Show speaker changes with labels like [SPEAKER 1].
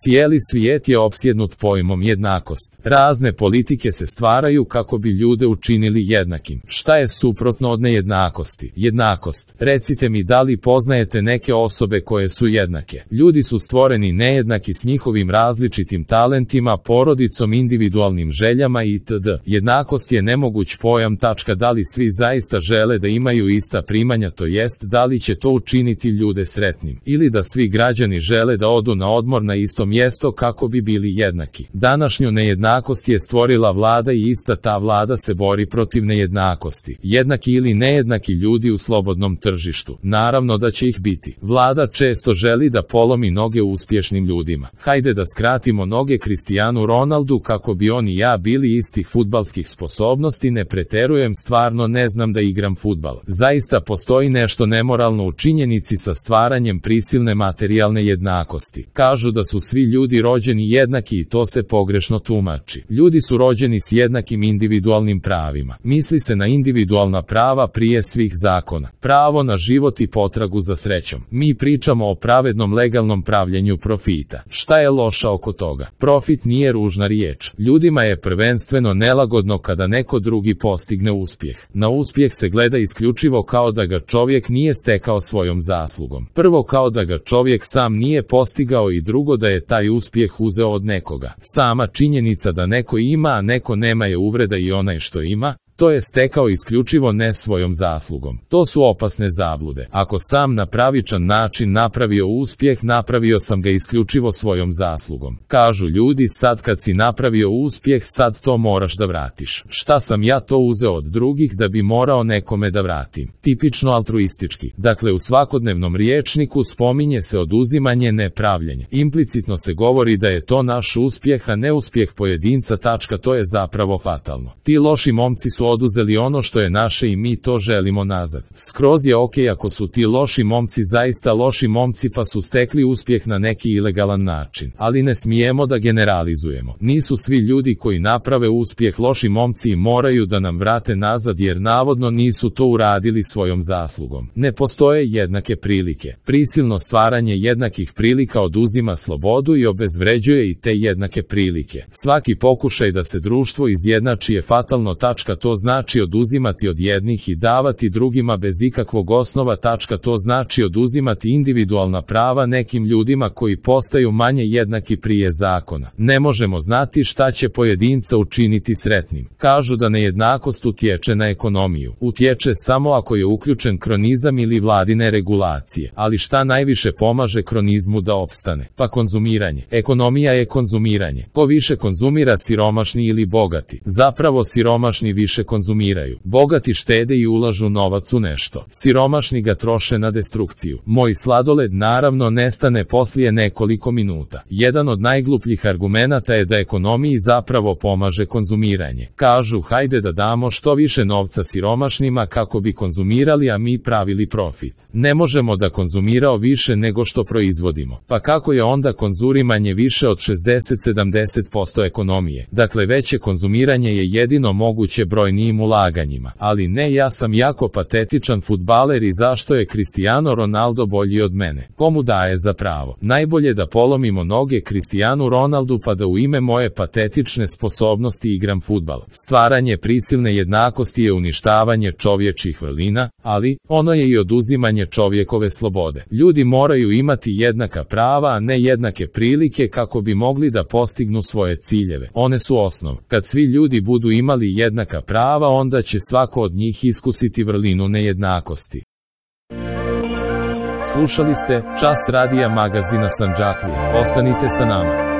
[SPEAKER 1] Cijeli svijet je opsjednut pojmom jednakost. Razne politike se stvaraju kako bi ljude učinili jednakim. Šta je suprotno od nejednakosti? Jednakost. Recite mi, da li poznajete neke osobe koje su jednake? Ljudi su stvoreni nejednaki s njihovim različitim talentima, porodicom, individualnim željama itd. Jednakost je nemoguć pojam. Da li svi zaista žele da imaju ista primanja, to jest da li će to učiniti ljude sretnim, ili da svi građani žele da odu na odmor na isto mjesto kako bi bili jednaki. Današnju nejednakost je stvorila vlada i ista ta vlada se bori protiv nejednakosti. Jednaki ili nejednaki ljudi u slobodnom tržištu. Naravno da će ih biti. Vlada često želi da polomi noge uspješnim ljudima. Hajde da skratimo noge Cristianu Ronaldu kako bi on i ja bili istih fudbalskih sposobnosti. Ne preterujem, stvarno ne znam da igram fudbal. Zaista postoji nešto nemoralno u činjenici sa stvaranjem prisilne materijalne jednakosti. Kažu da su svi ljudi rođeni jednaki i to se pogrešno tumači. Ljudi su rođeni s jednakim individualnim pravima. Misli se na individualna prava prije svih zakona. Pravo na život i potragu za srećom. Mi pričamo o pravednom legalnom pravljenju profita. Šta je loša oko toga? Profit nije ružna riječ. Ljudima je prvenstveno nelagodno kada neko drugi postigne uspjeh. Na uspjeh se gleda isključivo kao da ga čovjek nije stekao svojom zaslugom. Prvo, kao da ga čovjek sam nije postigao, i drugo, da je taj uspjeh uzeo od nekoga. Sama činjenica da neko ima, a neko nema je uvreda i onaj što ima, to je stekao isključivo ne svojom zaslugom. To su opasne zablude. Ako sam na pravičan način napravio uspjeh, napravio sam ga isključivo svojom zaslugom. Kažu ljudi, sad kad si napravio uspjeh, sad to moraš da vratiš. Šta sam ja to uzeo od drugih da bi morao nekome da vratim? Tipično altruistički. Dakle, u svakodnevnom rječniku spominje se oduzimanje, ne pravljenje. Implicitno se govori da je to naš uspjeh, a ne uspjeh pojedinca. To je zapravo fatalno. Ti loši momci su oduzeli ono što je naše i mi to želimo nazad. Skroz je okej ako su ti loši momci zaista loši momci pa su stekli uspjeh na neki ilegalan način. Ali ne smijemo da generalizujemo. Nisu svi ljudi koji naprave uspjeh loši momci i moraju da nam vrate nazad jer navodno nisu to uradili svojom zaslugom. Ne postoje jednake prilike. Prisilno stvaranje jednakih prilika oduzima slobodu i obezvređuje i te jednake prilike. Svaki pokušaj da se društvo izjednači je fatalno. To znači oduzimati od jednih i davati drugima bez ikakvog osnova. To znači oduzimati individualna prava nekim ljudima koji postaju manje jednaki prije zakona. Ne možemo znati šta će pojedinca učiniti sretnim. Kažu da nejednakost utječe na ekonomiju. Utječe samo ako je uključen kronizam ili vladine regulacije. Ali šta najviše pomaže kronizmu da opstane? Pa konzumiranje. Ekonomija je konzumiranje. Ko više konzumira, siromašni ili bogati? Zapravo siromašni više konzumiraju. Bogati štede i ulažu novac u nešto. Siromašni ga troše na destrukciju. Moj sladoled naravno nestane poslije nekoliko minuta. Jedan od najglupljih argumenata je da ekonomiji zapravo pomaže konzumiranje. Kažu, hajde da damo što više novca siromašnima kako bi konzumirali, a mi pravili profit. Ne možemo da konzumirao više nego što proizvodimo. Pa kako je onda konzumiranje više od 60-70% ekonomije? Dakle, veće konzumiranje je jedino moguće brojnijim ulaganjima. Ali ne, ja sam jako patetičan fudbaler i zašto je Cristiano Ronaldo bolji od mene? Komu daje za pravo? Najbolje da polomimo noge Cristianu Ronaldu pa da u ime moje patetične sposobnosti igram fudbal. Stvaranje prisilne jednakosti je uništavanje čovječih vrlina, ali ono je i oduzimanje čovjekove slobode. Ljudi moraju imati jednaka prava, a ne jednake prilike kako bi mogli da postignu svoje ciljeve. One su osnov. Kad svi ljudi budu imali jednaka prava, onda će svako od njih iskusiti vrlinu nejednakosti. Slušali ste Čas radija magazina Sandžaklija. Ostanite sa nama.